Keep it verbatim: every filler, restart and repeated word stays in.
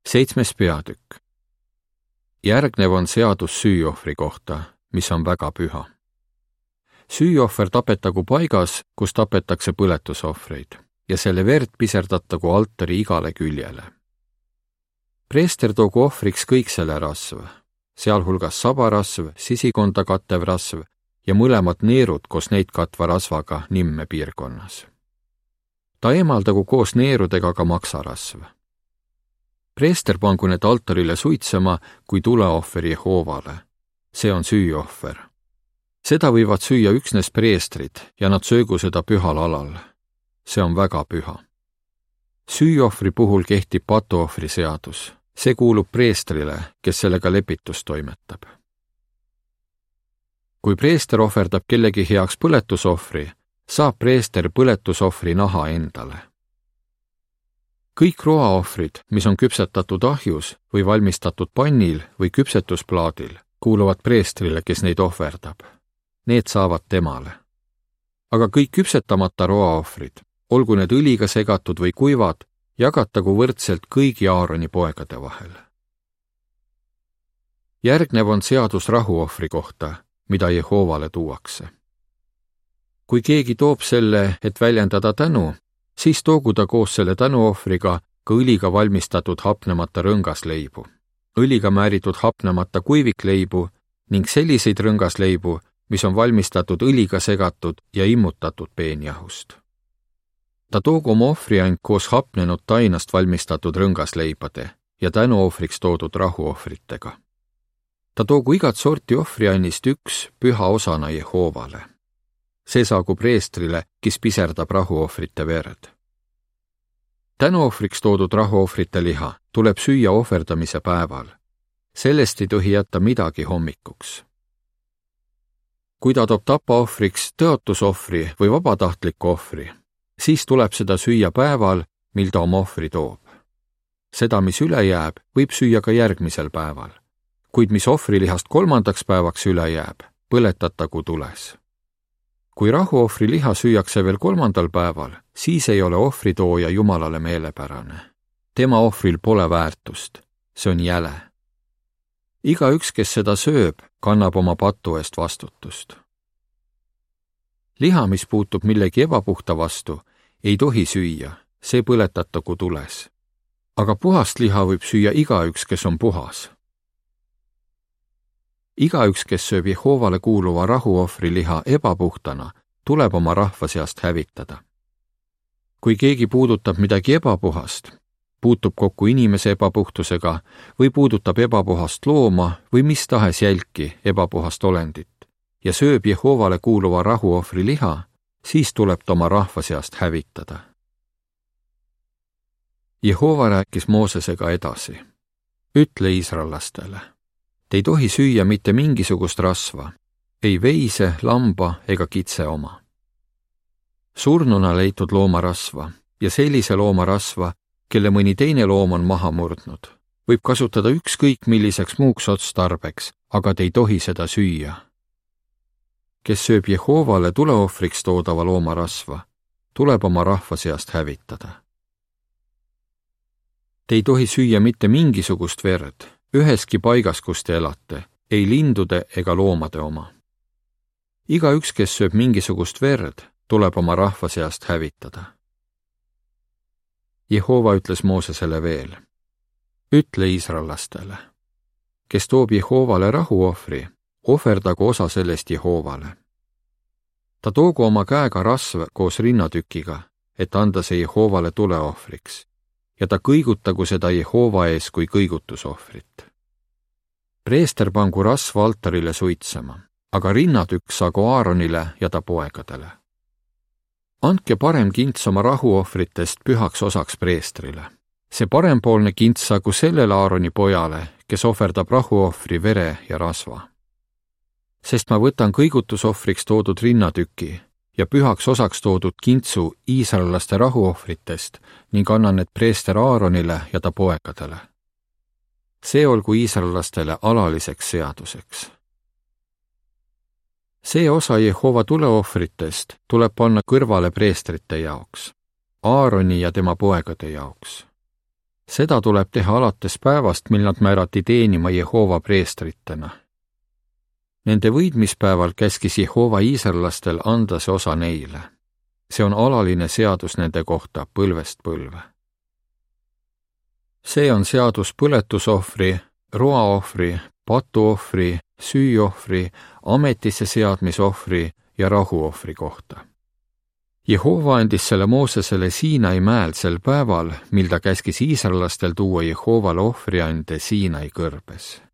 Seitsmes peatükk. Järgnev on seadus süüohvri kohta, mis on väga püha. Süüohver tapetagu paigas, kus tapetakse põletusohvreid, ja selle verd piserdatagu altari igale küljele. Preester toogu ohvriks kõik selle rasv, sealhulgas sabarasv, sisikonda kattev rasv ja mõlemad neerud koos neid katva rasvaga nimme piirkonnas. Ta eemaldagu koos neerudega ka maksarasv. Preester pangu need altarile suitsema kui tuleohveri Jehoovale. See on süüohver. Seda võivad süüa üksnes preestrid ja nad söögu seda pühal alal. See on väga püha. Süüohvri puhul kehtib patuohvri seadus. See kuulub preestrile, kes sellega lepitust toimetab. Kui preester ohverdab kellegi heaks põletusohvri, saab preester põletusohvri naha endale. Kõik roaohvrid, mis on küpsetatud ahjus või valmistatud pannil või küpsetusplaadil, kuuluvad preestrile, kes neid ohverdab. Need saavad temale. Aga kõik küpsetamata roaohvrid, olgu need õliga segatud või kuivad, jagatagu võrdselt kõigi Aaroni poegade vahel. Järgnev on seadus rahuohvri kohta, mida Jehoovale tuuakse. Kui keegi toob selle, et väljendada tänu, siis toogu ta koos selle tänuohvriga ka õliga valmistatud hapnemata rõngasleibu, õliga määritud hapnemata kuivikleibu ning selliseid rõngasleibu, mis on valmistatud õliga segatud ja immutatud peenjahust. Ta toogu oma ohvriand koos hapnenud tainast valmistatud rõngasleibade ja tänuohvriks toodud rahuohvritega. Ta toogu igat sorti ohvriannist üks püha osana Jehoovale. See saagu preestrile, kes piserdab rahuohvrite verd. Tänuohvriks toodud rahuohvrite liha tuleb süüa ohverdamise päeval. Sellest ei tohi jätta midagi hommikuks. Kui ta toob tapaohvriks tõotusohvri või vabatahtliku ohvri, siis tuleb seda süüa päeval, mil ta oma ohvri toob. Seda, mis üle jääb, võib süüa ka järgmisel päeval, kuid mis ohvrilihast kolmandaks päevaks üle jääb, põletatagu tules. Kui rahuohvri liha süüakse veel kolmandal päeval, siis ei ole ohvritooja Jumalale meelepärane. Tema ohvril pole väärtust, see on jäle. Igaüks, kes seda sööb, kannab oma patu eest vastutust. Liha, mis puutub millegi ebapuhta vastu, ei tohi süüa, see põletatagu tules. Aga puhast liha võib süüa igaüks, kes on puhas. Igaüks, kes sööb Jehoovale kuuluva rahuohvri liha ebapuhtana, tuleb oma rahva seast hävitada. Kui keegi puudutab midagi ebapuhast, puutub kokku inimese ebapuhtusega või puudutab ebapuhast looma või mis tahes jälki ebapuhast olendit ja sööb Jehoovale kuuluva rahuohvri liha, siis tuleb ta oma rahva seast hävitada. Jehova rääkis Moosesega edasi. Ütle iisraellastele. Te ei tohi süüa mitte mingisugust rasva, ei veise, lamba ega kitse oma. Surnuna leitud loomarasva ja sellise loomarasva, kelle mõni teine loom on maha murdnud, võib kasutada ükskõik milliseks muuks otstarbeks, aga te ei tohi seda süüa. Kes sööb Jehoovale tuleohvriks toodava loomarasva, tuleb oma rahva seast hävitada. Te ei tohi süüa mitte mingisugust verd, üheski paigas, kus te elate, ei lindude ega loomade oma. Igaüks, kes sööb mingisugust verd, tuleb oma rahva seast hävitada. Jehova ütles Moosesele veel. Ütle iisraellastele. Kes toob Jehoovale rahuohvri, ohverdagu osa sellest Jehoovale. Ta toogu oma käega rasv koos rinnatükiga, et anda see Jehoovale tuleohvriks. Ja ta kõigutagu seda Jehova ees kui kõigutusohvrit. Preester pangu rasva altarile suitsema, aga rinnatükk saagu Aaronile ja ta poegadele. Andke parem kints oma rahuohvritest pühaks osaks preestrile. See parempoolne kints saagu sellele Aaroni pojale, kes ohverdab rahuohvri vere ja rasva. Sest ma võtan kõigutusohvriks toodud rinnatüki ja pühaks osaks toodud kintsu iisraellaste rahuohvritest ning annan need preester Aaronile ja ta poegadele. See olgu iisraellastele alaliseks seaduseks. See osa Jehova tuleohvritest tuleb panna kõrvale preestrite jaoks, Aaroni ja tema poegade jaoks. Seda tuleb teha alates päevast, mil nad määrati teenima Jehova preestritena. Nende võidmispäeval käskis Jehova iisraellastel anda see osa neile. See on alaline seadus nende kohta põlvest põlve. See on seadus põletusohvri, roaohvri, patuohvri, süüohvri, ametisse seadmisohvri ja rahuohvri kohta. Jehova andis selle Moosesele Siinai mäel sel päeval, mil ta käskis iisraellastel tuua Jehovale ohvriande Siinai kõrbes.